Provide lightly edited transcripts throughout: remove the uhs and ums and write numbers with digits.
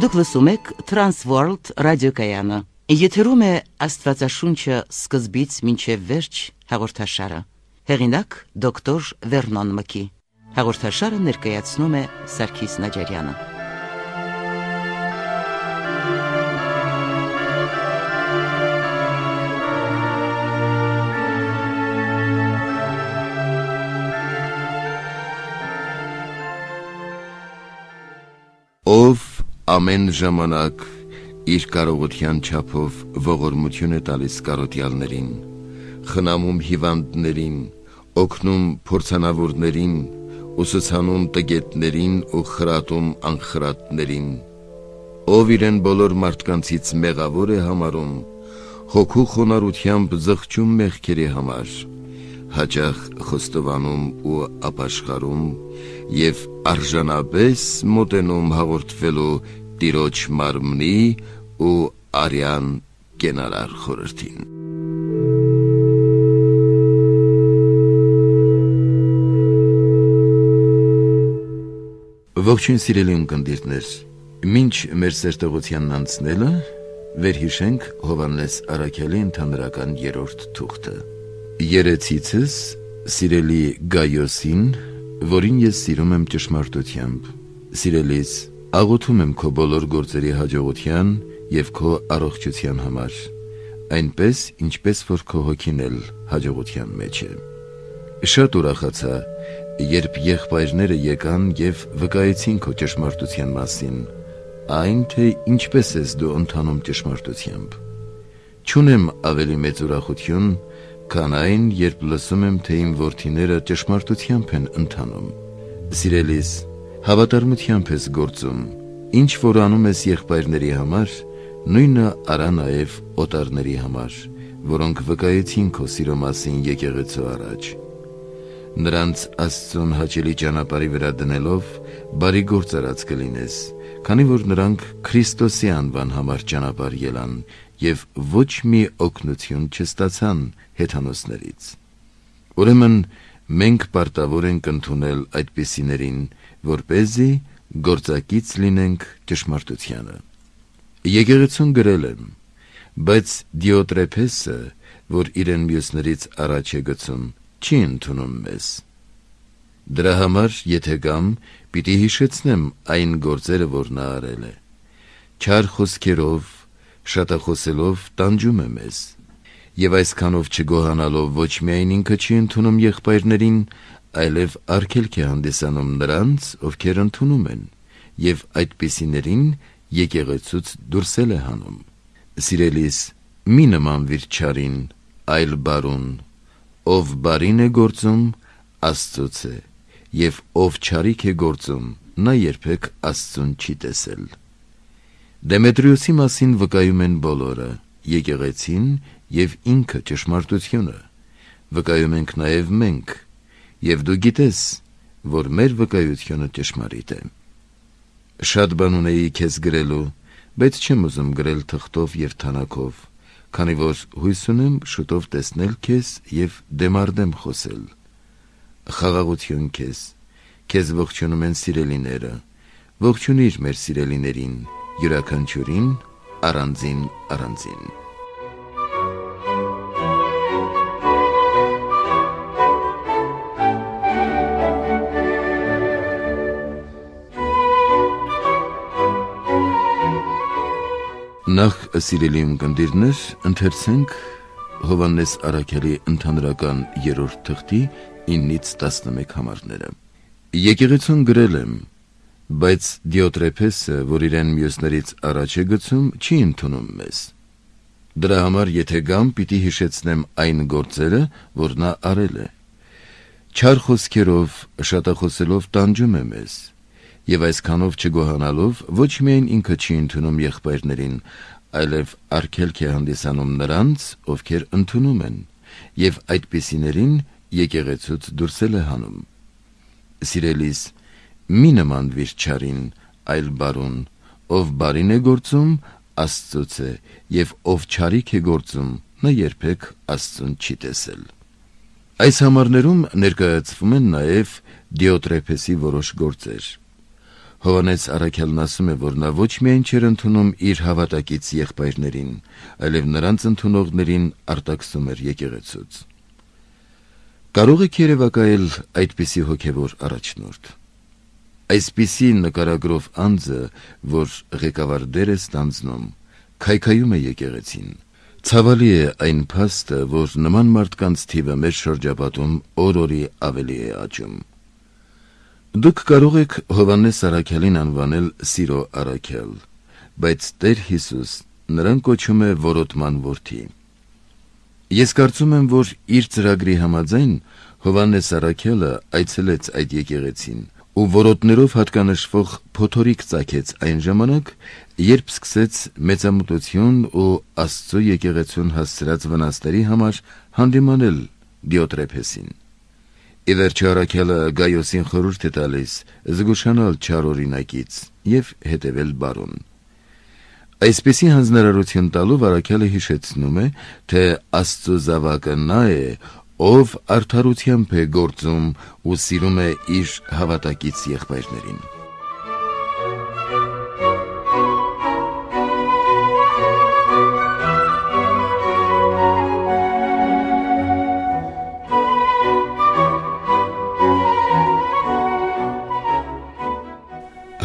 Դուք լսում եք Transworld ռադիոկայանը։ Եթերում է Աստվածաշունչը սկզբից մինչև վերջ հաղորդաշարը։ Հեղինակ դոկտոր Վերնոն Մկի։ Հաղորդաշարը ներկայացնում է Սարգիս Նաջարյանը։ Ով ամեն ժամանակ իր կարողության չափով ողորմություն է տալիս կարոտյալներին, խնամում հիվանդներին, օգնում փորձանավորներին, ուսուցանում տգետներին ու խրատում անխրատներին, ով իրեն բոլոր մարդկանցից մեղավոր է համարում, հոգու խոնարհությամբ զղջում մեղքերի համար, հաճախ խոստովանում ու ապաշխարում և արժանապես մոտենում հաղորդվելու Տիրոջ մարմնի ու արյան կենարար խորհրդին։ Ողջույն սիրելի ունկնդիրներ, մինչ մեր սերտողությանն անցնելը վերհիշենք Հովհաննես Առաքյալի ընդհանրական 3-րդ թուղթը։ Երեցիցս սիրելի Գայոսին, որին ես սիրում եմ ճշմարտությամբ, սիրելիս, աղոթում եմ քո բոլոր գործերի հաջողության և քո առողջության համար, այնպես, ինչպես որ քո հոգին էլ հաջողության մեջ է։ Շատ ուրախացա, երբ եղբայրները եկան և վկայեցին քո ճշմարտության մասին, այն թե ինչպես ես դու ընթանում ճշմարտությամբ։ Չունեմ ավելի մեծ ուրախություն, քան այն, երբ լսում եմ, թե իմ որդիները ճշմարտությամբ են ընթանում։ Սիրելիս, հավատարմությամբ ես գործում, ինչ որ անում ես եղբայրների համար, նույնը արա նաև օտարների համար, որոնք վկայեցին քո սիրո մասին եկեղեցու առաջ։ Նրանց Աստծուն հաճելի ճանապարհի վրա դնելով, բարի գործ արած կլինես, քանի որ նրանք Քրիստոսի անվան համար ճանապարհ ելան և ոչ մի օգնություն չստացան հեթանոսներից։ Ուրեմն մենք պարտավոր ենք ընդունել այդպիսիներին, որպեսզի գործակից լինենք ճշմարտությանը։ Եկեղեցուն գրել եմ, բայց Դիոտրեփեսը, որ իրեն մյուսներից առաջ է գցում, չի ընդունում մեզ։ Դրա համար, եթե գամ, պիտի հիշեցնեմ այն գործերը, որ նա արել է։ Չար խոսքերով, շատախոսելով տանջում է մեզ, և այսքանով չգոհանալով ոչ միայն ինքը չի ընդունում եղբայրներին, այլև արգելք է հանդիսանում նրանց, ովքեր ընդունում են, և այդպիսիներին եկեղեցուց դուրսել է հանում։ Սիրելիս, մի նմանվիր չարին, այլ բարուն, ով բարին է գործում, Աստծուց է, և ով չարիք է գործում, նա երբեք Աստծուն չի տեսել։ Դեմետրիոսի մասին վկայում են բոլորը, եկեղեցին և ինքը ճշմարտությունը, վկայում ենք նաև մենք, և դու գիտես, որ մեր վկայությունը ճշմարիտ է։ Շատ բան ունեի քեզ գրելու, բայց չեմ ուզում գրել թղթով և թանաքով, քանի որ հույս ունեմ շուտով տեսնել քեզ և դեմարդեմ խոսել։ Խաղաղություն քեզ ողջունում են սիրելիները, ողջունիր մեր սիրելիներին, յուրաքանչյուրին առանձին առանձին։ Նախ, սիրելի ունկնդիրներ, ընթերցենք Հովհաննես Առաքյալի ընդհանրական 3-րդ թղթի 9-ից 11 համարները։ Եկեղեցուն գրել եմ, բայց Դիոտրեփեսը, որ իրեն մյուսներից առաջ է գցում, չի ընդունում մեզ։ Դրա համար, եթե գամ, պիտի հիշեցնեմ այն գործերը, որ նա արել է։ Չար խոսքերով, շատախոսելով տանջում է մեզ, և այսքանով չգոհանալով ոչ միայն ինքը չի ընդունում եղբայրներին, այլև արգելք է հանդիսանում նրանց, ովքեր ընդունում են, և այդպիսիներին եկեղեցուց դուրսել է հանում։ Սիրելիս, մի նմանվիր չարին, այլ բարուն, ով բարին է գործում, Աստծուց է, և ով չարիք է գործում, նա երբեք Աստծուն չի տեսել։ Այս համարներում ներկայացվում են նաև Դիոտրեփեսի որոշ գործեր։ Հովանես Առաքելն ասում է, որ նա ոչ միայն չէր ընդունում իր հավատակից եղբայրներին, այլև նրանց ընդունողներին արտաքսում էր եկեղեցուց։ Կարող եք երևակայել այդպիսի հոգևոր առաջնորդ։ Այսպիսի նկարագրով անձը, որ ղեկավար դեր է ստանձնում, քայքայում է եկեղեցին։ Ցավալի է այն փաստը, որ նման մարդկանց թիվը մեր շրջապատում օր-օրի ավելի է աճում։ Դուք կարող եք Հովանես Առաքելին անվանել սիրո առաքել, բայց Տեր Հիսուս նրան կոչում է որոտման որդի։ Ես կարծում եմ, որ իր ծրագրի համաձայն Հովանես Առաքելը այցելեց այդ եկեղեցին ու որոտներով հատկանշվող փոթորիկ ծագեց այն ժամանակ, երբ սկսեց մեծամտություն ու Աստծո եկեղեցուն հասցրած վնասների համար հանդիմանել Դիոտրեփեսին։ Ի վերջո Առաքելը Գայոսին խորհուրդ է տալիս զգուշանալ չար օրինակից և հետևել բարուն։ Այսպիսի հանձնարարություն տալով Առաքելը հիշեցնում է, թե Աստծո զավակը նա է, ով արդարությամբ է գործում ու սիրում է իր հավատակից եղբայրներին։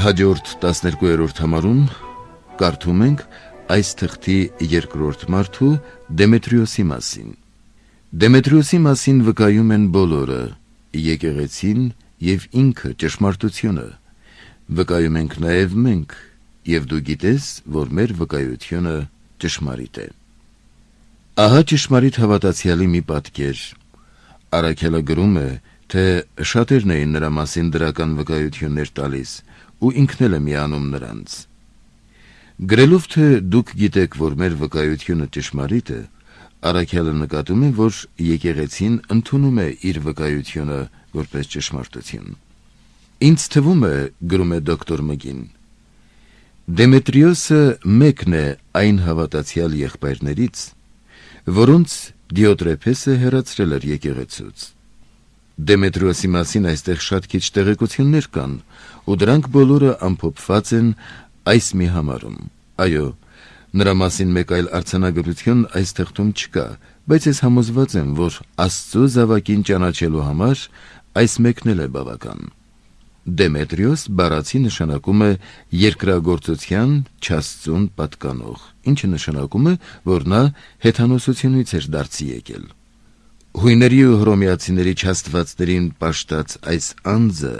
Հաջորդ 12-րդ համարում կարդում ենք այս թղթի երկրորդ մարդու Դեմետրիոսի մասին։ Դեմետրիոսի մասին վկայում են բոլորը, եկեղեցին և ինքը ճշմարտությունը, վկայում ենք նաև մենք, և դու գիտես, որ մեր վկայությունը ճշմարիտ է։ Ահա ճշմարիտ հավատացյալի մի պատկեր։ Առաքելը գրում է, թե շատերն էին նրա մասին դրական վկայություններ տալիս, ու ինքն էլ է միանում նրանց։ Գրելով, թե դուք գիտեք, որ մեր վկայությունը ճշմարիտ է, Առաքելը նկատում է, որ եկեղեցին ընդունում է իր վկայությունը որպես ճշմարտություն։ Ինձ թվում է, գրում է դոկտոր Մգին, Դեմետրիոսը մեկն է այն հավատացյալ եղբայրներից, որոնց Դիոտրեփեսը հեռացրել էր եկեղեցուց։ Դեմետրիոսի մասին այստեղ շատ քիչ տեղեկություններ կան, ու դրանք բոլորը ամփոփված են այս մի համարում։ Այո, նրա մասին մեկ այլ արձանագրություն այս թղթում չկա, բայց ես համոզված եմ, որ Աստծո զավակին ճանաչելու համար այս մեկն էլ է բավական։ Դեմետրիոս բառացի նշանակում է երկրագործության չաստծուն պատկանող, ինչը նշանակում է, որ նա հեթանոսությունից էր դարձի եկել։ Հույների ու հռոմեացիների չաստվածներին պաշտած այս անձը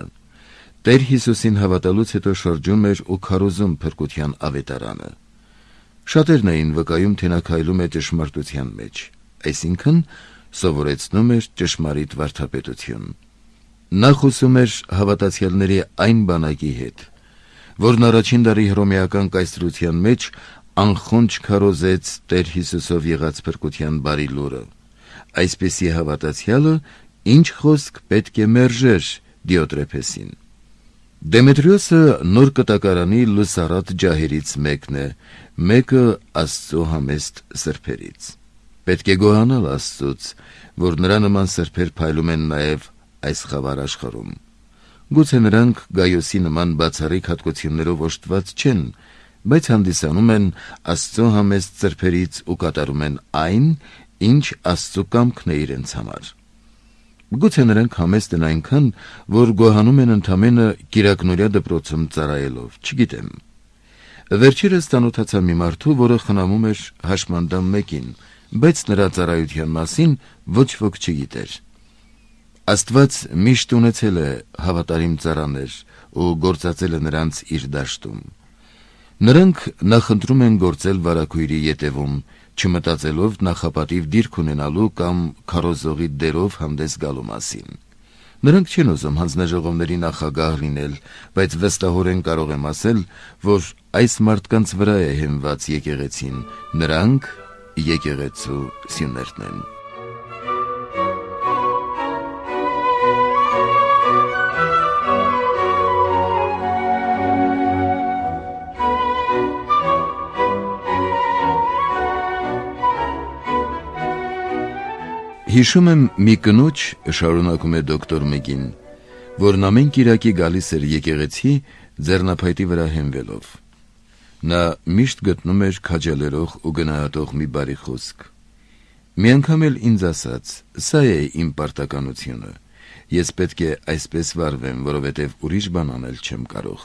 Տեր Հիսուսին հավատալուց հետո շրջում էր ու քարոզում փրկության ավետարանը։ Շատերն էին վկայում, թե նա քայլում է ճշմարտության մեջ, այսինքն սովորեցնում էր ճշմարիտ վարդապետություն։ Նա խոսում էր հավատացյալների այն բանակի հետ, որն առաջին դարի հռոմեական կայսրության մեջ անխոնջ քարոզեց Տեր Հիսուսով եղած փրկության բարի լուրը։ Այսպիսի հավատացյալը ինչ խոսք պետք է մերժեր Դիոտրեփեսին։ Դեմետրիոսը նոր կտակարանի լուսառատ ջահերից մեկն է, մեկը Աստծո համեստ սրբերից։ Պետք է գոհանալ Աստծուց, որ նրա նման սրբեր փայլում են նաև այս խավար աշխարհում։ Գուցե նրանք Գայոսի նման բացառիկ հատկություններով օժտված չեն, բայց հանդիսանում են Աստծո համեստ սրբերից ու կատարում են այն, ինչ Աստծո կամքն է իրենց համար։ Գուցե նրանք համեստ են այնքան, որ գոհանում են ընդամենը կիրակնօրյա դպրոցում ծառայելով, չգիտեմ։ Վերջերս ծանոթացա մի մարդու, որը խնամում էր հաշմանդամ մեկին, բայց նրա ծառայության մասին ոչ ոք չգիտեր։ Աստված միշտ ունեցել է հավատարիմ ծառաներ ու գործածել է նրանց իր դաշտում։ Նրանք նախընտրում են գործել վարագույրի ետևում, չմտածելով նախապատիվ դիրք ունենալու կամ քարոզողի դերով հանդես գալու մասին։ Նրանք չեն ուզում հանձնաժողովների նախագահ լինել, բայց վստահորեն կարող եմ ասել, որ այս մարդկանց վրա է հենված եկեղեցին, նրանք եկեղեցու սյուներն են։ Հիշում եմ մի կնոջ, շարունակում է դոկտոր Մգին, որն ամեն կիրակի գալիս էր եկեղեցի, ձեռնափայտի վրա հենվելով։ Նա միշտ գտնում էր քաջալերող ու գնահատող մի բարի խոսք։ Մի անգամ էլ ինձ ասաց. «Սա է իմ պարտականությունը, ես պետք է այսպես վարվեմ, որովհետև ուրիշ բան անել չեմ կարող»։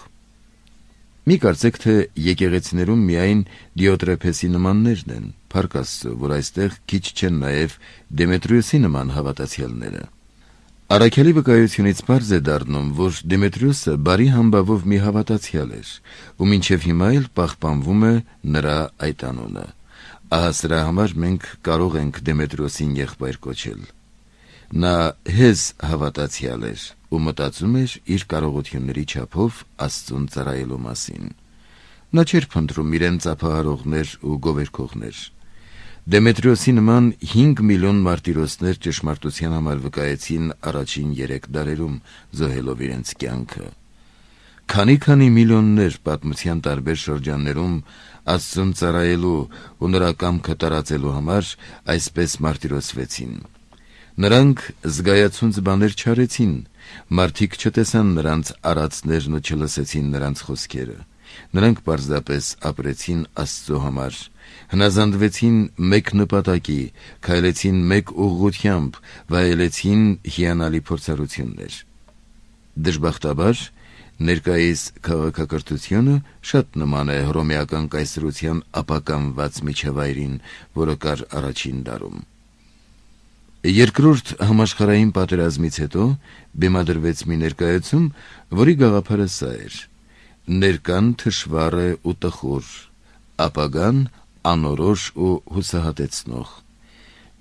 Մի կարծեք, թե եկեղեցիներում միայն Դիոտրեփեսի նմաններն են, փառք Աստծո, որ այստեղ քիչ չեն նաև Դեմետրիոսի նման հավատացյալները։ Առաքյալի վկայությունից պարզ է դառնում, որ Դեմետրիոսը բարի համբավով մի հավատացյալ էր, ու մինչև հիմա էլ պահպանվում է նրա այդ անունը։ Ահա սրա համար մենք կարող ենք Դեմետրիոսին եղբայր կոչել։ Նա հեզ հավատացյալ էր ու մտածում էր իր կարողությունների չափով Աստծուն ծառայելու մասին։ Նա չէր փնտրում իրեն ծափահարողներ ու գովերքողներ։ Դեմետրիոսի նման 5 միլիոն մարտիրոսներ ճշմարտության համար վկայեցին առաջին 3 դարերում, զոհելով իրենց կյանքը։ Քանի միլիոններ պատմության տարբեր շրջաններում Աստծուն ծառայելու ու նրա կամքը տարածելու համար այսպես մարտիրոսվեցին։ Նրանք զգայացունց բաներ չարեցին, մարդիկ չտեսան նրանց արածներն ու չլսեցին նրանց խոսքերը։ Նրանք պարզապես ապրեցին Աստծո համար, հնազանդվեցին մեկ նպատակի, քայլեցին մեկ ուղղությամբ, վայելեցին հիանալի փորձառություններ։ Դժբախտաբար, ներկայիս քաղաքակրթությունը շատ նման է հռոմեական կայսրության ապականված միջավայրին, որը կար առաջին դարում։ Երկրորդ համաշխարհային պատերազմից հետո բեմադրվեց մի ներկայացում, որի գաղափարը սա էր. ներկան թշվառ է ու տխուր, ապագան անորոշ ու հուսահատեցնող։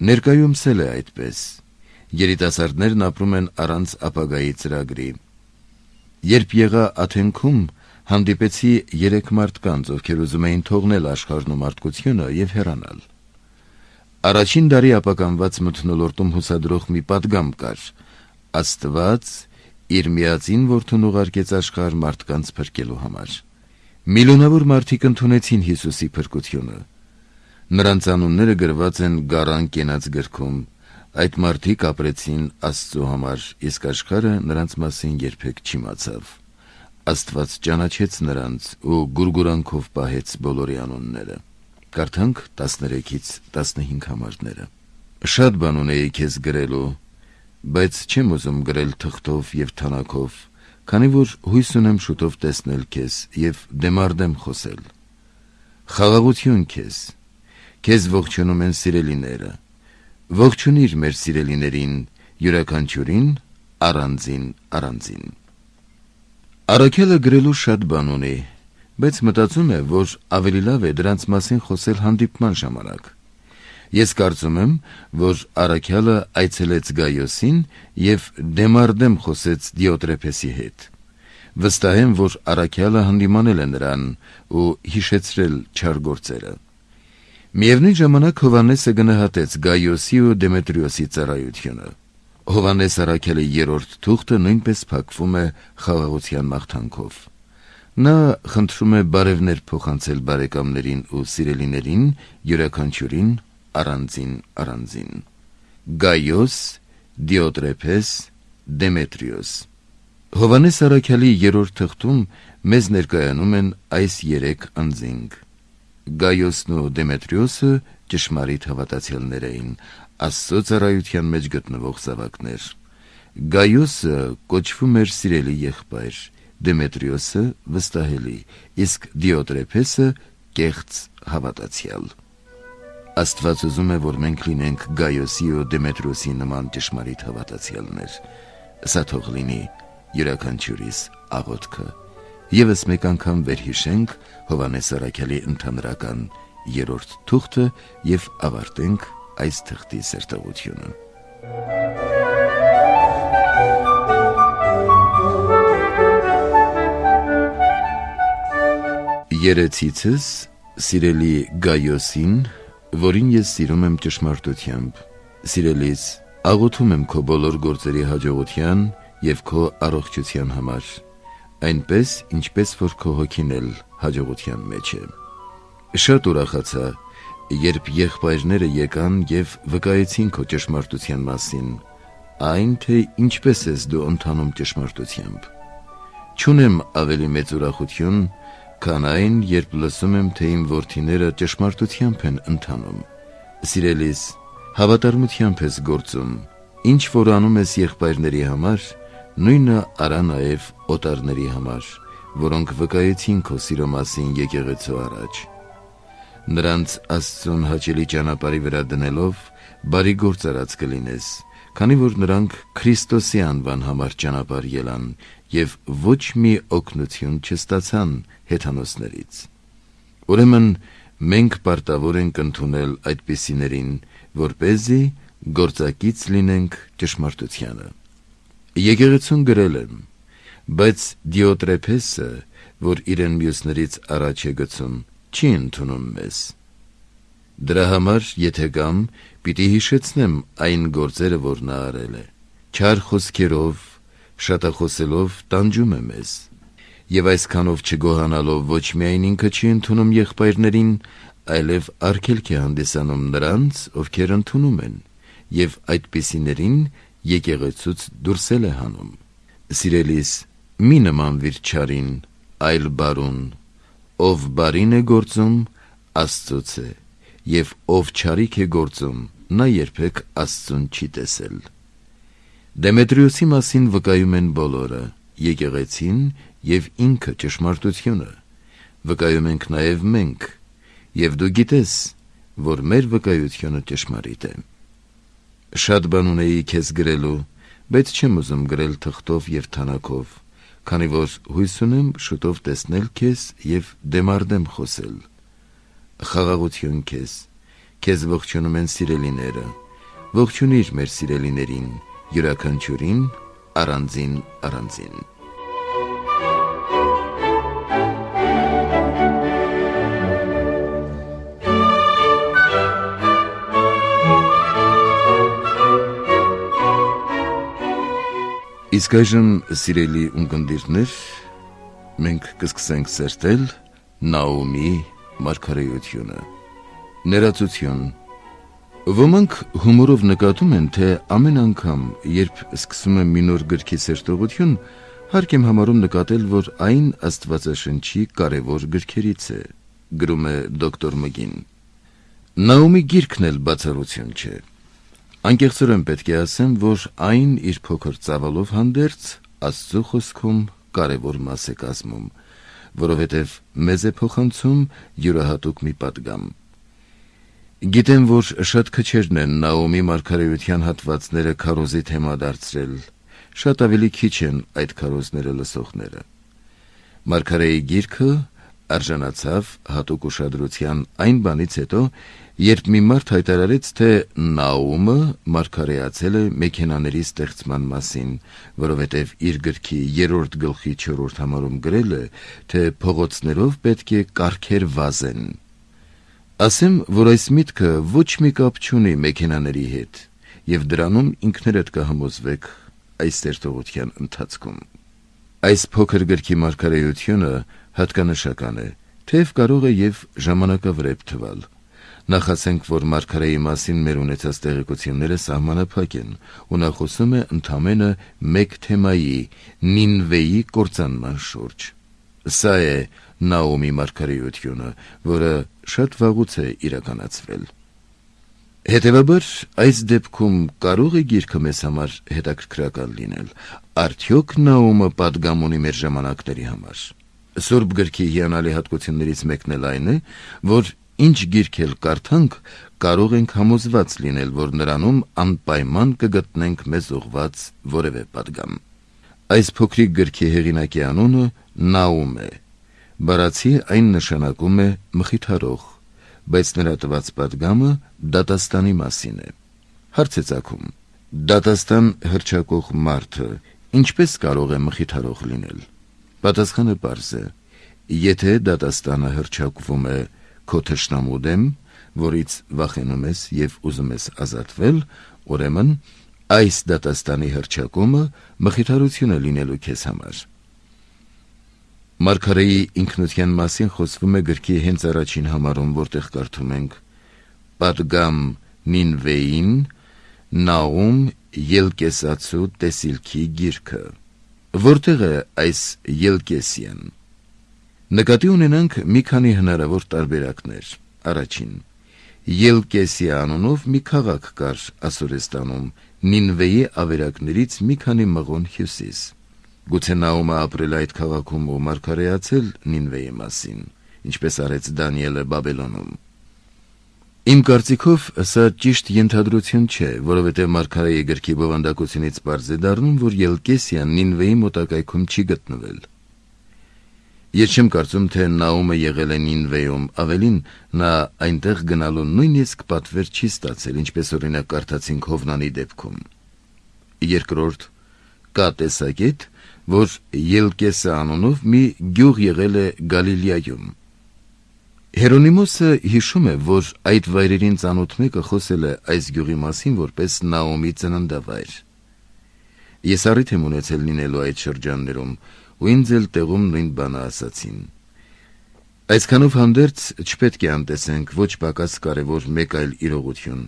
Ներկայումս էլ է այդպես։ Երիտասարդներն ապրում են առանց ապագայի ծրագրի։ Երբ եղա Աթենքում, հանդիպեցի 3 մարդկանց, ովքեր ուզում էին թողնել աշխարհն ու մարդկությունը եւ հեռանալ։ Առաջին դարի ապականված մթնոլորտում հուսադրող մի պատգամ կար. Աստված իր միածին որդուն ուղարկեց աշխարհ մարդկանց փրկելու համար։ Միլիոնավոր մարդիկ ընդունեցին Հիսուսի փրկությունը։ Նրանց անունները գրված են Գառան կենաց գրքում։ Այդ մարդիկ ապրեցին Աստծո համար, իսկ աշխարհը նրանց մասին երբեք չիմացավ։ Աստված ճանաչեց նրանց ու գուրգուրանքով պահեց բոլորի անունները։ Կարդանք 13-ից 15 համարները։ Շատ բան ունեի քեզ գրելու, բայց չեմ ուզում գրել թղթով եւ թանաքով, քանի որ հույս ունեմ շուտով տեսնել քեզ եւ դեմարդեմ խոսել։ Խաղաղություն քեզ ողջունում են սիրելիները։ Ողջունիր մեր սիրելիներին, յուրաքանչյուրին առանձին։ Առաքյալը գրելու շատ բան ունի, բայց մտածում է, որ ավելի լավ է դրանց մասին խոսել հանդիպման ժամանակ։ Ես կարծում եմ, որ առաքյալը այցելեց Գայոսին եւ դեմարդեմ խոսեց Դիոտրեփեսի հետ։ Վստահ եմ, որ առաքյալը հանդիմանել է նրան ու հիշեցրել չար գործերը։ Միևնույն ժամանակ Հովհաննեսը գնահատեց Գայոսի ու Դեմետրիոսի ծառայությունը։ Հովհաննես առաքյալի 3-րդ թուղթը նույնպես փակվում է խաղաղության մաղթանքով։ Նա խնդրում է բարևներ փոխանցել բարեկամներին ու սիրելիներին, յուրաքանչյուրին առանձին։ Գայոս, Դիոտրեփես, Դեմետրիոս։ Հովհաննես առաքյալի 3-րդ թղթում մեզ ներկայանում են այս 3 անձինք։ Գայոսն ու Դեմետրիոսը ճշմարիտ հավատացյալներ էին, Աստծո ծառայության մեջ գտնվող զավակներ։ Գայոսը կոչվում էր սիրելի եղբայր, Դեմետրիոսը վստահելի, իսկ Դիոտրեփեսը կեղծ հավատացյալ։ Աստված ուզում է, որ մենք լինենք Գայոսի ու Դեմետրիոսի նման ճշմարիտ հավատացյալներ։ Սա թող լինի յուրաքանչյուրիս աղոթքը։ Եվս մեկ անգամ վերհիշենք Հովհաննես առաքյալի ընդհանրական 3-րդ թուղթը եւ ավարտենք այս թղթի սերտողությունը։ Երեցիցս սիրելի Գայոսին, որին ես սիրում եմ ճշմարտությամբ, սիրելիս, աղոթում եմ քո բոլոր գործերի հաջողության եւ քո առողջության համար, այնպես, ինչպես որ քո հոգին էլ հաջողության մեջ է։ Շատ ուրախացա, երբ եղբայրները եկան եւ վկայեցին քո ճշմարտության մասին, այն թե ինչպես ես դու ընթանում ճշմարտությամբ։ Չունեմ ավելի մեծ ուրախություն, քան այն, երբ լսում եմ, թե իմ որդիները ճշմարտությամբ են ընթանում։ Սիրելիս, հավատարմությամբ ես գործում, ինչ որ անում ես եղբայրների համար, նույնը արա նաև օտարների համար, որոնք վկայեցին քո սիրո մասին եկեղեցու առաջ։ Նրանց Աստծուն հաճելի ճանապարհի վրա դնելով, բարի գործ արած կլինես, քանի որ նրանք Քրիստոսի անվան համար ճանապարհ ելան և ոչ մի օգնություն չստացան հեթանոսներից։ Ուրեմն մենք պարտավոր ենք ընդունել այդպիսիներին, որպեսզի գործակից լինենք ճշմարտությանը։ Եկեղեցուն գրել եմ, բայց Դիոտրեփեսը, որ իրեն մյուսներից առաջ է գցում, չի ընդունում մեզ։ Դրա համար, եթե կամ, պիտի հիշեցնեմ այն գործերը, որ նա արել է։ Չար խոսքերով, շատախոսելով տանջում է մեզ, և այսքանով չգոհանալով ոչ միայն ինքը չի ընդունում եղբայրներին, այլև արգելք է հանդիսանում նրանց, ովքեր ընդունում են, և այդպիսիներին եկեղեցուց դուրսել է հանում։ Սիրելիս, մի նմանվիր չարին, այլ բարուն, ով բարին է գործում, Աստծուց է, և ով չարիք է գործում, նա երբեք Աստծուն չի տեսել։ Դեմետրիոսի մասին վկայում են բոլորը, եկեղեցին և ինքը ճշմարտությունը, վկայում ենք նաև մենք, և դու գիտես, որ մեր վկայությունը ճշմարիտ է։ Շատ բան ունեի քեզ գրելու, բայց չեմ ուզում գրել թղթով և թանաքով, քանի որ հույս ունեմ շուտով տեսնել քեզ և դեմարդեմ խոսել։ Խաղաղություն քեզ, քեզ ողջունում են սիրելիները, ողջունիր մեր սիրելիներին, յուրաքանչյուրին առանձին առանձին։ Իսկ այժմ, սիրելի ունկնդիրներ, մենք կսկսենք սերտել Նաոմի մարգարեությունը։ Ներածություն։ Ոմանք հումորով նկատում են, թե ամեն անգամ, երբ սկսում եմ մի նոր գրքի սերտողություն, հարկ եմ համարում նկատել, որ այն Աստվածաշնչի կարևոր գրքերից է, գրում է դոկտոր Մգին։ Նաոմի գիրքն էլ բացառություն չէ։ Անկեղծորեն պետք է ասեմ, որ այն իր փոքր ծավալով հանդերձ Աստծո խոսքում կարևոր մաս է կազմում, որովհետև մեզ է փոխանցում յուրահատուկ մի պատգամ։ Գիտեմ, որ շատ քչերն են Նաոմի մարգարեության հատվածները քարոզի թեմա դարձրել, շատ ավելի քիչ են այդ քարոզները լսողները։ Մարգարեի գիրքը արժանացավ հատուկ ուշադրության այն բանից հետո, երբ մի մարդ հայտարարեց, թե Նաոմը մարգարեացել է մեքենաների ստեղծման մասին, որովհետև իր գրքի 3-րդ գլխի 4-րդ համարում գրել է, թե փողոցներով պետք է կառքեր վազեն։ Ասեմ, որ այս միտքը ոչ մի կապ չունի մեքենաների հետ, և դրանում ինքներդ կհամոզվեք այս սերտողության ընթացքում։ Այս փոքր գրքի մարգարեությունը հատկանշական է, թեև կարող է և ժամանակավրեպ թվալ։ Նախասենք, որ մարգարեի մասին մեր ունեցած տեղեկությունները սահմանափակ են, ու նա խոսում է ընդամենը մեկ թեմայի՝ Նինվեի կործանման շուրջ։ Սա է Նաոմի մարգարեությունը, որը շատ վաղուց է իրականացվել։ Հետևաբար, այս դեպքում կարող է գիրքը մեզ համար հետաքրքրական լինել։ Արդյոք Նաոմը պատգամ ունի մեր ժամանակների համար։ Սուրբ գրքի հիանալի հատկություններից մեկն էլ այն է, որ ինչ գիրք էլ կարդանք, կարող ենք համոզված լինել, որ նրանում անպայման կգտնենք մեզ ուղղված որևէ պատգամ։ Այս փոքրիկ գրքի հեղինակի անունը Նաում է։ Բառացի այն նշանակում է մխիթարող, բայց նրա տված պատգամը դատաստանի մասին է։ Հարց է ծագում. դատաստան հռչակող մարդը ինչպես կարող է մխիթարող լինել։ Պատասխանը պարզ է. եթե դատաստանը հռչակվում է քո թշնամու դեմ, որից վախենում ես և ուզում ես ազատվել, ուրեմն այս դատաստանի հռչակումը մխիթարություն է լինելու քեզ համար։ Մարգարեի ինքնության մասին խոսվում է գրքի հենց առաջին համարում, որտեղ կարդում ենք. պատգամ Նինվեին, Նաում ելկեսացու տեսիլքի գիրքը։ Որտեղ է այս Ելկեսիան։ Նկատի ունենանք մի քանի հնարավոր տարբերակներ։ Առաջին, Ելկեսիա անունով մի քաղաք կար Ասորեստանում, Նինվեի ավերակներից մի քանի մղոն հյուսիս։ Գուցե Նաոմը ապրել այդ քաղաքում ու մարգարեացել Նինվեի մասին, ինչպես արեց Դանիելը Բաբելոնում։ Իմ կարծիքով սա ճիշտ ենթադրություն չէ, որովհետև մարգարեի գրքի բովանդակությունից պարզ է դառնում, որ Ելկեսիան Նինվեի մոտակայքում չի գտնվել։ Ես չեմ կարծում, թե Նաոմը եղել է Նինվեում, ավելին նա այնտեղ գնալու նույնիսկ պատվեր չի ստացել, ինչպես օրինակ կարդացինք Հովնանի դեպքում։ Երկրորդ, կա տեսակետ, որ Ելկեսը անունով մի գյուղ եղել է Գալիլեայում։ Հերոնիմոսը հիշում է, որ այդ վայրերին ծանոթ մեկը խոսել է այս գյուղի մասին որպես Նաոմի ծննդավայր։ Ես առիթ եմ ունեցել լինելու այդ շրջաններում, ու ինձ էլ տեղում նույն բանը ասացին։ Այսքանով հանդերձ չպետք է անտեսենք ոչ պակաս կարևոր մեկ այլ իրողություն։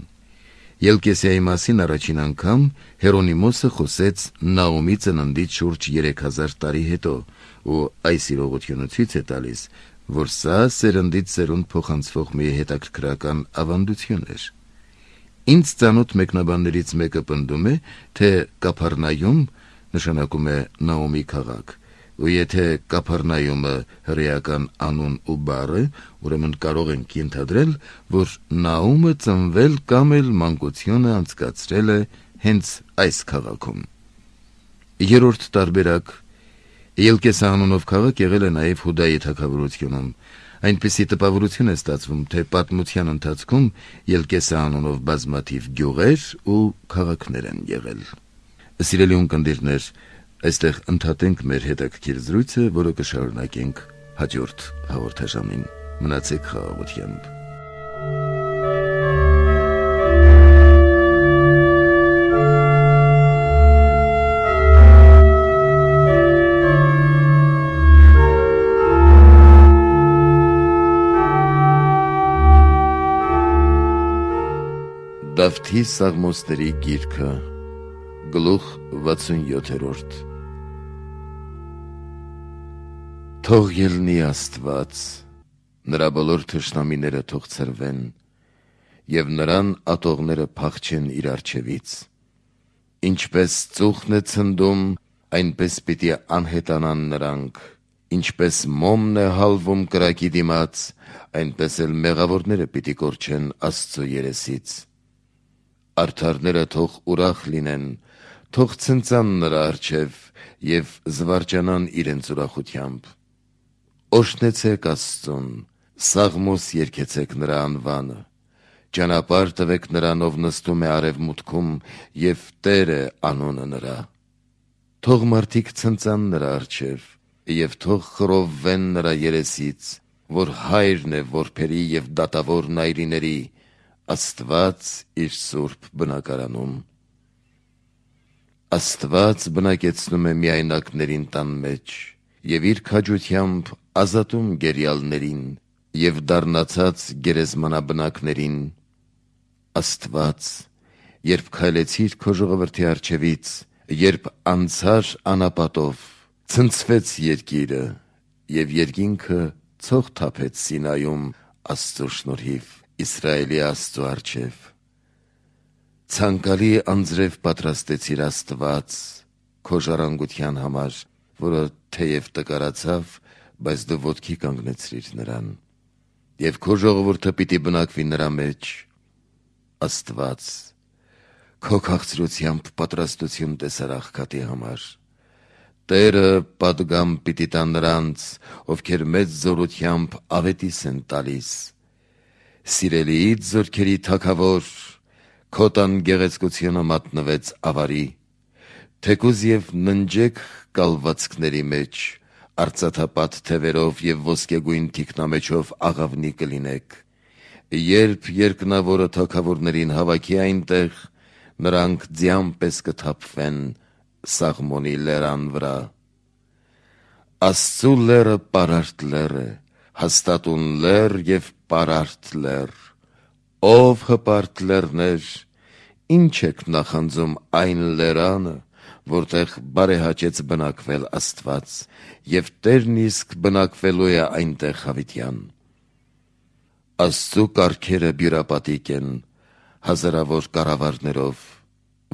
Ելկեսիայի մասին առաջին անգամ Հերոնիմոսը խոսեց Նաոմի ծննդից շուրջ 3000 տարի հետո, ու այս իրողությունը ցույց է տալիս, որ սա սերնդից սերունդ փոխանցվող մի հետաքրքրական ավանդություն էր։ Ինձ ծանոթ մեկնաբաններից մեկը պնդում է, թե Կափառնայում նշանակում է Նաոմի քաղաք, ու եթե Կափառնայումը հրեական անուն ու բառ է, ուրեմն կարող ենք ենթադրել, որ Նաոմը ծնվել կամ էլ մանկությունը անցկացրել է հենց այս քաղաքում։ Երրորդ տարբերակ, Ելկեսա անունով քաղաք եղել է նաև Հուդայի թագավորությունում։ Այնպիսի տպավորություն է ստացվում, թե պատմության ընթացքում Ելկեսա անունով բազմաթիվ գյուղեր ու քաղաքներ են եղել։ Սիրելի ունկնդիրներ, այստեղ ընդհատենք մեր հետաքրքիր զրույցը, որը կշարունակենք հաջորդ հաղորդաշարին։ Մնացեք խաղաղությամբ։ Դավթի Սաղմոսների գիրքը, գլուխ 67։ Թող ելնի Աստված, նրա բոլոր թշնամիները թող ցրվեն, և նրան ատողները փախչեն իր առջևից։ Ինչպես ծուխն է ցնդում, այնպես պիտի անհետանան նրանք, ինչպես մոմն է հալվում կրակի դիմաց, այնպես էլ մեղավորները պիտի կորչեն Աստծո երեսից։ Արդարները թող ուրախ լինեն, թող ցնծան նրա առջև և զվարճանան իրենց ուրախությամբ։ Օրհնեցեք Աստծուն, սաղմոս երգեցեք նրա անվանը, ճանապարհ տվեք նրան, ով նստում է արևմուտքում, և Տեր է անունը նրա։ Թող մարդիկ ցնծան նրա առջև, և թող խռովվեն նրա երեսից, որ հայրն է որբերի և դատավոր նայրիների, Աստված իր սուրբ բնակարանում։ Աստված բնակեցնում է միայնակներին տան մեջ, և իր քաջությամբ ազատում գերյալներին և դառնացած գերեզմանաբնակներին։ Աստված, երբ քայլեցիր քո ժողովրդի առջևից, երբ անցար անապատով, ցնցվեց երկիրը, և երկինքը ցող թափեց Սինայում Աստծո շնորհիվ Իսրայելի Աստծո առջև։ Ցանկալի անձրև պատրաստեցիր Աստված քո ժառանգության համար, որը թեև տկարացավ, բայց դու ոտքի կանգնեցրիր նրան, և քո ժողովուրդը պիտի բնակվի նրա մեջ։ Աստված, քո քաղցրությամբ պատրաստություն տեսար աղքատի համար։ Տերը պատգամ պիտի տա նրանց, ովքեր մեծ զորությամբ ավետիս են տալիս։ Սիրելիից զորքերի թագավոր, քո տան գեղեցկությունը մատնվեց ավարի, թեկուզ և ննջեք կալվածքների մեջ, արծաթապատ թևերով և ոսկեգույն թիկնամեջով աղավնի կլինեք։ Երբ երկնավորը թագավորներին հավաքի այնտեղ, նրանք ձյան պես կթափվեն Սաղմոնի լերան վրա։ Աստծու լերը պարարտ լեր է, հաստատուն լեր և պարարտ լեր։ Ով հպարտ լեռներ, ինչ եք նախանձում այն լերանը, որտեղ բարեհաճեց բնակվել Աստված, եւ Տերն իսկ բնակվելու է այնտեղ հավիտյան։ Աստծու կարգերը բյուրապատիկ են, հազարավոր կառավարներով,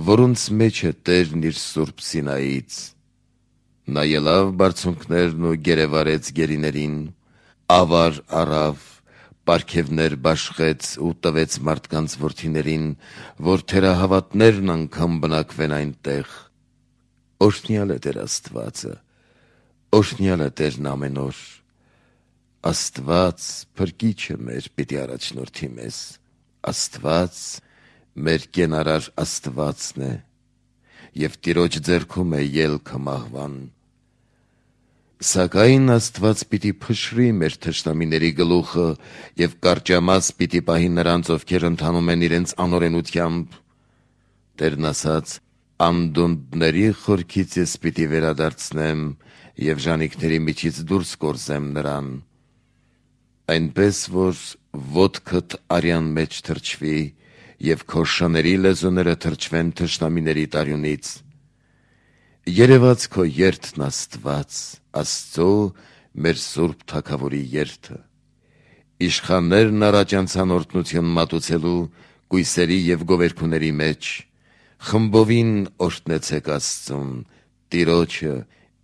որոնց մեջ է Տերն իր սուրբ Սինայից։ Նա ելավ բարձունքներն ու գերեվարեց գերիներին, ավար առավ, պարգևներ բաշխեց ու տվեց մարդկանց որդիներին, որ թերահավատներն անգամ բնակվեն այնտեղ։ Օրհնյալ է Տեր Աստվածը, օրհնյալ է Տերն ամեն օր։ Աստված փրկիչը մեր պիտի առաջնորդի մեզ, Աստված մեր կենարար Աստվածն է, եւ Տիրոջ ձեռքում է ելքը մահվան։ Սակայն Աստված պիտի փշրի մեր թշնամիների գլուխը եւ կարճամաս պիտի պահի նրանց, ովքեր ընթանում են իրենց անօրենությամբ։ Տերն ասաց. «Անդունդների խորքից ես պիտի վերադարձնեմ եւ ժանիքների միջից դուրս կորզեմ նրան, այնպես որ ոտքդ արյան մեջ թրջվի եւ քո շների լեզուները թրջվեն թշնամիների տարյունից։ Երևաց քո երթն Աստված, Աստծո մեր Սուրբ Թագավորի երթը։ Իշխաններն առաջ անցան օրհնություն մատուցելու կույսերի եւ գովերքուների մեջ, խմբովին օրհնեցեք Աստծուն, Տիրոջը,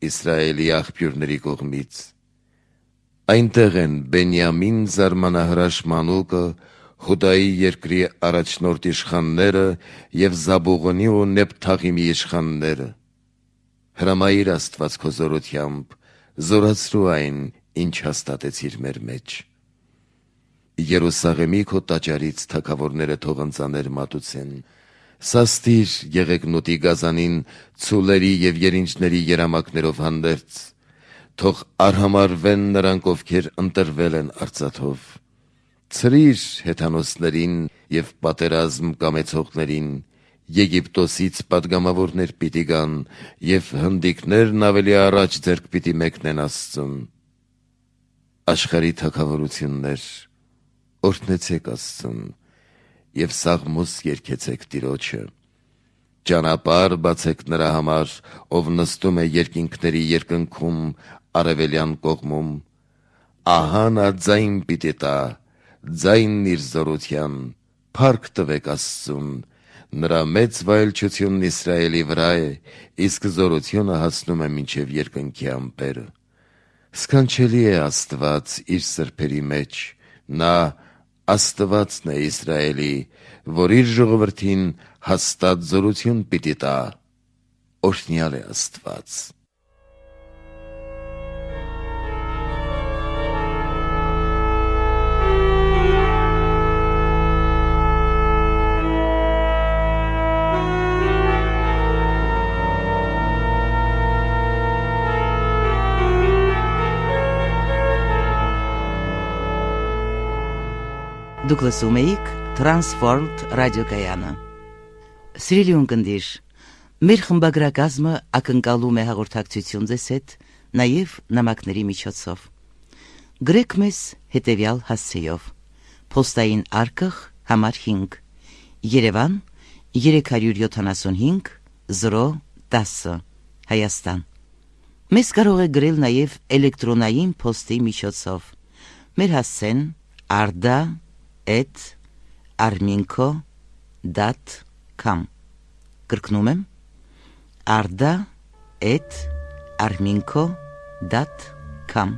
Իսրայելի աղբյուրների կողմից։ Այնտեղ են Բենյամին զարմանահրաշ մանուկը, Հուդայի երկրի առաջնորդ իշխանները եւ Զաբուղոնի ու Նեփթաղիմի իշխանները։ Հրամայիր Աստված քո զորությամբ, զորացրու այն, ինչ հաստատեցիր մեր մեջ։ Երուսաղեմի քո տաճարից թագավորները թող ընծաներ մատուցեն, սաստիր Եղեգնուտի գազանին ցուլերի եւ երինջների երամակներով հանդերձ, թող արհամարվեն նրանք, ովքեր ընտրվել են արծաթով։ Ցրիր հեթանոսներին եւ պատերազմ կամեցողներին, Եգիպտոսից պատգամավորներ պիտի գան եւ հնդիկներն ավելի առաջ ձեռք պիտի մեկնեն Աստծուն։ Աշխարհի թագավորություններ, օրհնեցեք Աստծուն եւ սաղմոս երգեցեք Տիրոջը։ Ճանապարհ բացեք նրա համար, ով նստում է երկինքների երկնքում արևելյան կողմում։ Ահա նա ձայն պիտի տա, ձայնն իր զորության, փառք տվեք Աստծուն, նրա մեծ վայելչությունն Իսրայելի վրա է, իսկ զորությունը հասնում է մինչև երկնքի ամպերը։ Սքանչելի է Աստված իր սրբերի մեջ, նա Աստվածն է Իսրայելի, որ իր ժողովրդին հաստատ զորություն պիտի տա։ Օրհնյալ է Աստված։ Դուք լսում էիք Transworld ռադիոկայանը։ Սիրելի ունկնդիր, մեր խմբագրակազմը ակնկալում է հաղորդակցություն ձեզ հետ, նաև նամակների միջոցով։ Գրեք մեզ հետևյալ հասցեով. Պոստային արկղ համար 5, Երևան 375 010, Հայաստան։ Մեզ կարող է գրել նաև էլեկտրոնային պոստի միջոցով։ Մեր հասցեն arda@arminco.com Կրկնում եմ arda@arminco.com